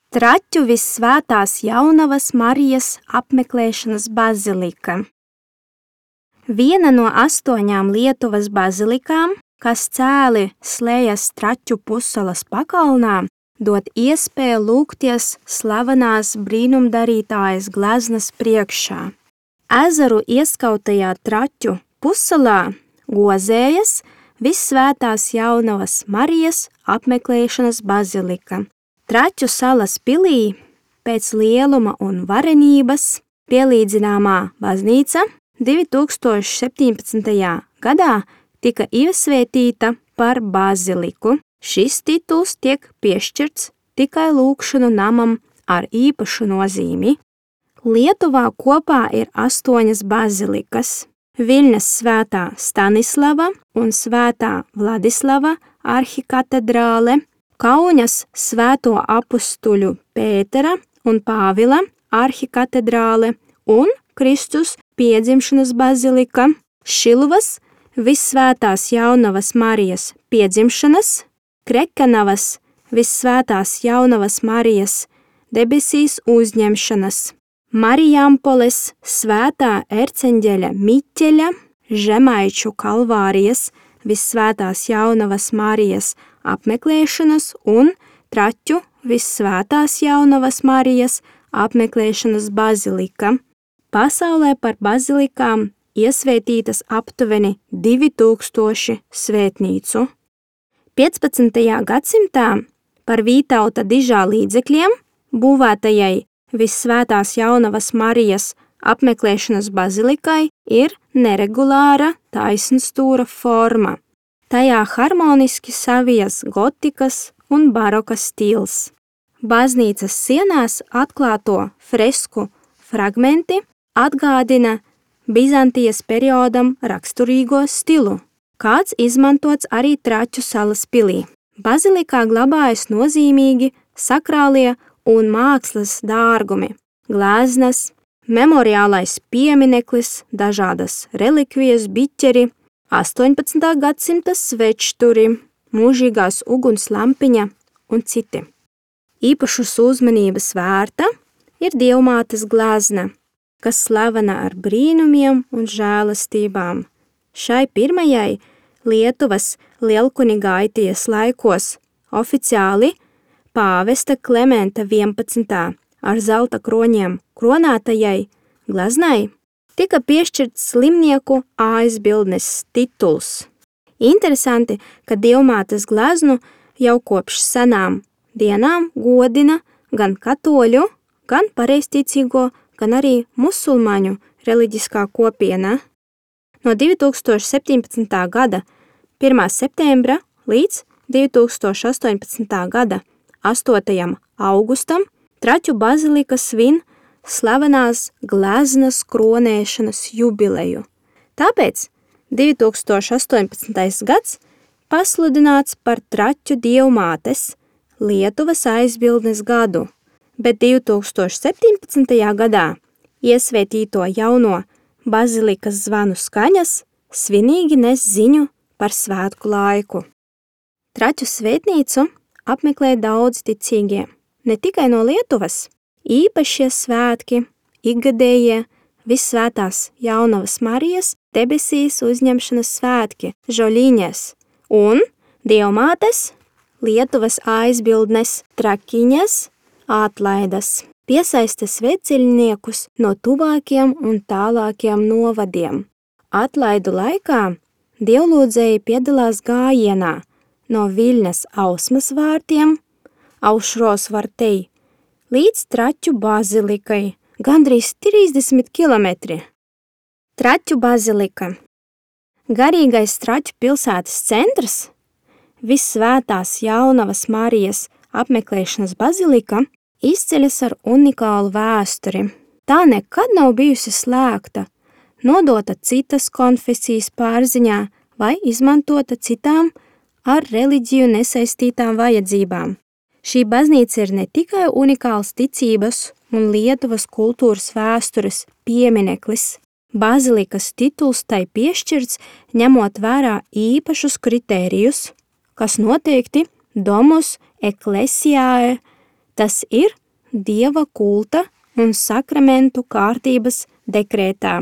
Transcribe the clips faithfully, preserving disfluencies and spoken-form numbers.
Traķu Vissvētās Jaunavas Marijas apmeklēšanas bazilika. Viena no astoņām Lietuvas bazilikām, kas cēli Slejas Traķu pussalas pakalnā, dod iespēju lūgties slavenās brīnumdarītājas gleznas priekšā. Ezeru ieskautajā Traķu pussalā gozējas Vissvētās Jaunavas Marijas apmeklēšanas bazilika. Traķu salas pilī pēc lieluma un varenības pielīdzināmā baznīca divi tūkstoši septiņpadsmitajā gadā tika iesvētīta par baziliku. Šis tituls tiek piešķirts tikai lūgšanu namam ar īpašu nozīmi. Lietuvā kopā ir astoņas bazilikas – Viļņas Svētā Stanislava un Svētā Vladislava arhikatedrāle, Kaunas Svēto apustuļu Pētera un Pāvila arhikatedrāle un Kristus piedzimšanas bazilika, Šiluvas Vissvētās Jaunavas Marijas piedzimšanas, Krekenavas Vissvētās Jaunavas Marijas debesīs uzņemšanas, Marijampoles Svētā erceņģeļa Miķeļa, Žemaiču Kalvārijas Vissvētās Jaunavas Marijas apmeklēšanas un Traķu Vissvētās Jaunavas Marijas apmeklēšanas bazilika. Pasaulē par bazilikām iesvētītas aptuveni divi tūkstoši svētnīcu. piecpadsmitajā gadsimtā par Vītauta dižā līdzekļiem būvētajai Vissvētās Jaunavas Marijas apmeklēšanas bazilikai ir neregulāra taisnstūra forma. Tajā harmoniski savijas gotikas un baroka stils. Baznīcas sienās atklāto fresku fragmenti atgādina Bizantijas periodam raksturīgo stilu, kāds izmantots arī Traķu salas pilī. Bazilikā glabājas nozīmīgi sakrālie un mākslas dārgumi, gleznas, memoriālais piemineklis, dažādas relikvijas, biķeri, astoņpadsmitā gadsimta svečturi, mūžīgās uguns lampiņa un citi. Īpašas uzmanības vērta ir Dievmātes glezna, kas slavena ar brīnumiem un žēlastībām. Šai pirmajai Lietuvas lielkunigaities laikos oficiāli pāvesta Klementa vienpadsmitā ar zelta kroņiem kronētajai gleznai tika piešķirts slimnieku aizbildnes tituls. Interesanti, ka Dievmātes gleznu jau kopš senām dienām godina gan katoļu, gan pareizticīgo, gan arī musulmaņu reliģiskā kopiena. No divi tūkstoši septiņpadsmitā gada pirmā septembra līdz divi tūkstoši astoņpadsmitā gada astotajam augustam Traķu bazilika svin slavenās gleznas kronēšanas jubileju. Tāpēc divi tūkstoši astoņpadsmitais gads pasludināts par Traķu Dievmātes Lietuvas aizbildnes gadu, bet divi tūkstoši septiņpadsmitajā gadā iesvētīto jauno bazilikas zvanu skaņas svinīgi nes ziņu par svētku laiku. Traķu svētnīcu apmeklē daudz ticīgie, ne tikai no Lietuvas. Īpašie svētki, ikgadējie Vissvētās Jaunavas Marijas debesīs uzņemšanas svētki, Žoļiņas un Dievmātes Lietuvas aizbildnes trakiņas atlaidas. Piesaista svētceļniekus no tuvākiem un tālākiem novadiem. Atlaidu laikā dievlūdzēji piedalās gājienā no Viļņas Ausmas vārtiem, Aušros vartei, līdz Traķu bazilikai, gandrīz trīsdesmit kilometri. Traķu bazilika. Garīgais Traķu pilsētas centrs, Vissvētās Jaunavas Marijas apmeklēšanas bazilika, izceļas ar unikālu vēsturi. Tā nekad nav bijusi slēgta, nodota citas konfesijas pārziņā vai izmantota citām ar reliģiju nesaistītām vajadzībām. Šī baznīca ir ne tikai unikāls ticības un Lietuvas kultūras vēstures piemineklis. Bazilikas tituls tai piešķirts, ņemot vērā īpašus kritērijus, kas noteikti Domus Ecclesiae Tas ir dieva kulta un sakramentu kārtības dekrētā.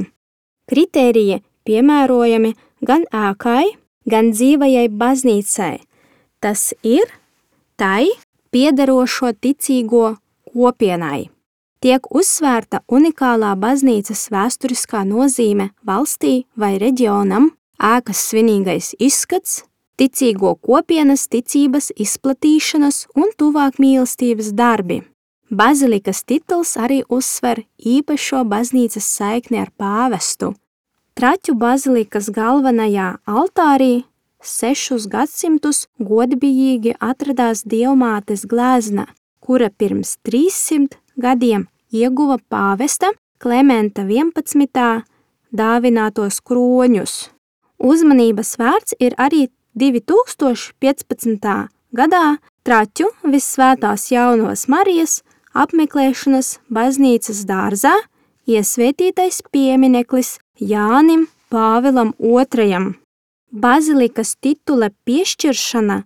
Kritēriji piemērojami gan ēkai, gan dzīvajai baznīcai. Tas ir tai piederošo ticīgo kopienai. Tiek uzsvērta unikālā baznīcas vēsturiskā nozīme valstī vai reģionam, ēkas svinīgais izskats, ticīgo kopienas ticības izplatīšanas un tuvāk mīlestības darbi. Bazilikas tituls arī uzsver īpašo baznīcas saikni ar pāvestu. Traķu bazilikas galvenajā altārī sešus gadsimtus godbijīgi atradās Dievmātes glezna, kura pirms trīssimt gadiem ieguva pāvesta Klementa vienpadsmitā dāvinātos kroņus. Uzmanības vērts ir arī divi tūkstoši piecpadsmitā gadā Traķu Vissvētās Jaunavas Marijas apmeklēšanas baznīcas dārzā iesvētītais piemineklis Jānim Pāvilam otrajam. Bazilikas titula piešķiršana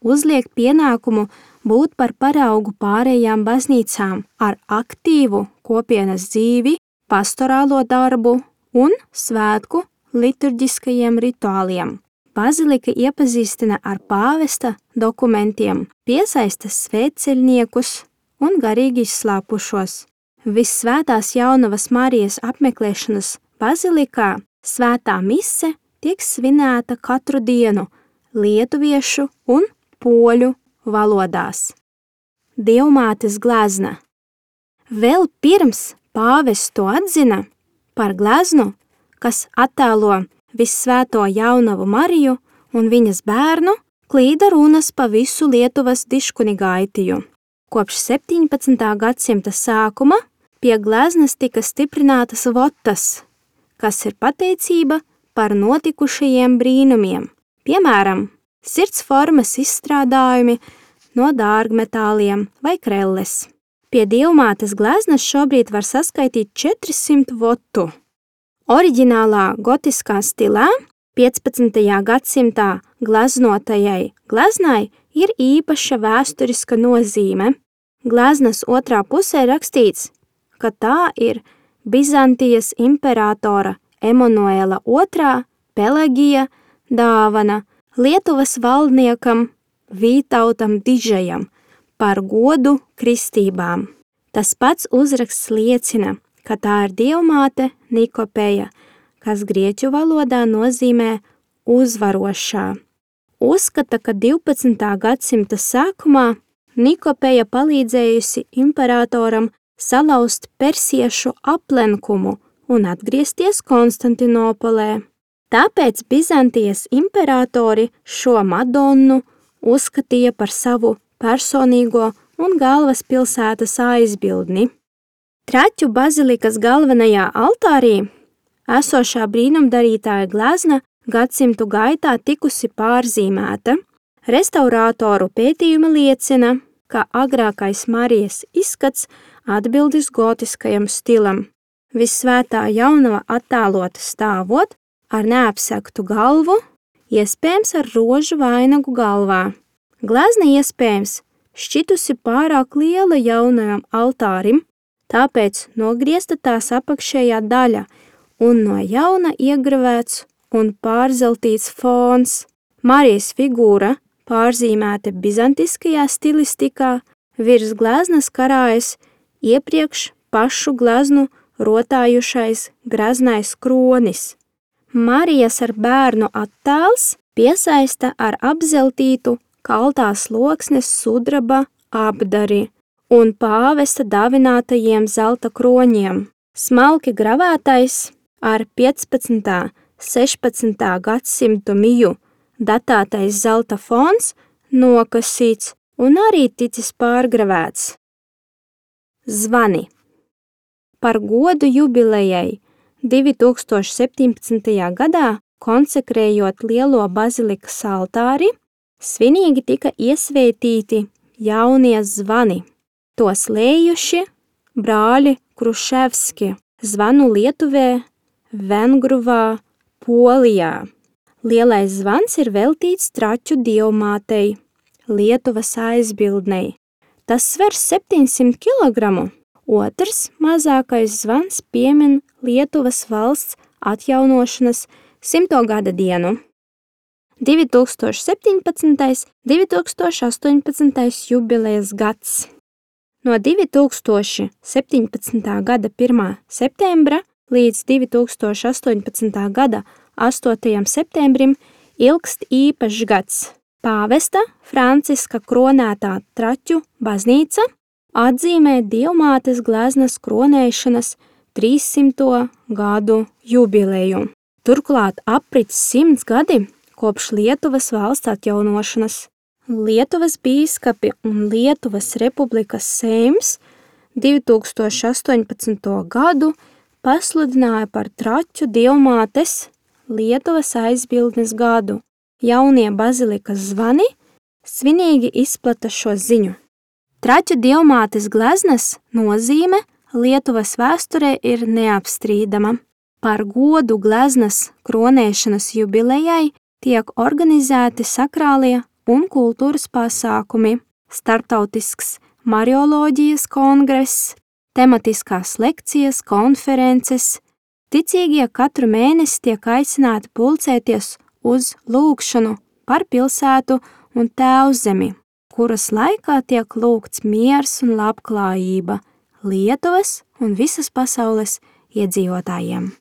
uzliek pienākumu būt par paraugu pārējām baznīcām ar aktīvu kopienas dzīvi, pastorālo darbu un svētku liturģiskajiem rituāliem. Bazilika iepazīstina ar pāvesta dokumentiem, piesaista svētceļniekus un garīgi izslāpušos. Vissvētās Jaunavas Marijas apmeklēšanas bazilikā svētā mise tiek svinēta katru dienu lietuviešu un poļu valodās. Dievmātes glezna. Vēl pirms pāvests to atzina par gleznu, kas attēlo Vissvēto Jaunavu Mariju un viņas bērnu, klīda runas pa visu Lietuvas diškunigaitiju. Kopš septiņpadsmitā gadsimta sākuma pie gleznas tika stiprinātas votas, kas ir pateicība par notikušajiem brīnumiem, piemēram, sirds formas izstrādājumi no dārgmetāliem vai krelles. Pie Dievmātes gleznas šobrīd var saskaitīt četrsimt votu. Oriģinālā gotiskā stilā piecpadsmitajā gadsimtā gleznotajai gleznai ir īpaša vēsturiska nozīme. Gleznas otrā pusē rakstīts, ka tā ir Bizantijas imperatora Emanuela otrā Pelagija dāvana Lietuvas valdniekam Vītautam Dižajam par godu kristībām. Tas pats uzraksts liecina, ka tā ir Dievmāte Nikopeja, kas grieķu valodā nozīmē uzvarošā. Uzskata, ka divpadsmitā gadsimta sākumā Nikopeja palīdzējusi imperatoram salauzt persiešu aplenkumu un atgriezties Konstantinopolē. Tāpēc Bizantijas imperatori šo Madonnu uzskatīja par savu personīgo un galvaspilsētas aizbildni. Traķu bazilikas galvenajā altārī esošā brīnumdarītāja glezna gadsimtu gaitā tikusi pārzīmēta. Restaurātoru pētījumi liecina, ka agrākais Marijas izskats atbildis gotiskajam stilam. Vissvētā Jaunava attēlota stāvot ar neapsegtu galvu, iespējams ar rožu vainagu galvā. Glezna iespējams šķitusi pārāk liela jaunajam altārim, tāpēc nogriezta tās apakšējā daļa un no jauna iegravēts un pārzeltīts fons. Marijas figūra pārzīmēta bizantiskajā stilistikā, virs gleznas karājas iepriekš pašu gleznu rotājušais graznais kronis. Marijas ar bērnu attēls piesaista ar apzeltītu kaltās loksnes sudraba apdari un pāvesta dāvinātajiem zelta kroņiem. Smalki gravētais ar piecpadsmitā sešpadsmitā gadsimtu miju datētais zelta fons nokasīts un arī ticis pārgravēts. Zvani. Par godu jubilejai divi tūkstoši septiņpadsmitajā gadā, konsekrējot lielo bazilikas altāri, svinīgi tika iesvētīti jaunie zvani. Tos lējuši brāļi Kruševski, zvanu Lietuvē, Vengruvā, Polijā. Lielais zvans ir veltīts Traķu Dievmātei, Lietuvas aizbildnei. Tas sver septiņsimt kilogramu. Otrs mazākais zvans piemin Lietuvas valsts atjaunošanas simto gada dienu. divi tūkstoši septiņpadsmitais - divi tūkstoši astoņpadsmitais jubilejas gads. No divi tūkstoši septiņpadsmitā gada pirmā septembra līdz divi tūkstoši astoņpadsmitā gada astotajam septembrim ilgst īpašs gads. Pāvesta Franciska kronētā Traķu baznīca atzīmē Dievmātes gleznas kronēšanas trīssimto gadu jubileju. Turklāt aprits simts gadi kopš Lietuvas valsts atjaunošanas. Lietuvas bīskapi un Lietuvas Republikas Seims divi tūkstoši astoņpadsmito gadu pasludināja par Traķu Dievmātes Lietuvas aizbildnes gadu. Jaunie bazilikas zvani svinīgi izplata šo ziņu. Traķu Dievmātes gleznas nozīme Lietuvas vēsturē ir neapstrīdama. Par godu gleznas kronēšanas jubilejai tiek organizēti sakrālie un kultūras pasākumi, starptautisks marioloģijas kongress, tematiskās lekcijas, konferences. Ticīgie katru mēnesi tiek aicināti pulcēties uz lūgšanu par pilsētu un tēvzemi, kuras laikā tiek lūgts miers un labklājība Lietuvas un visas pasaules iedzīvotājiem.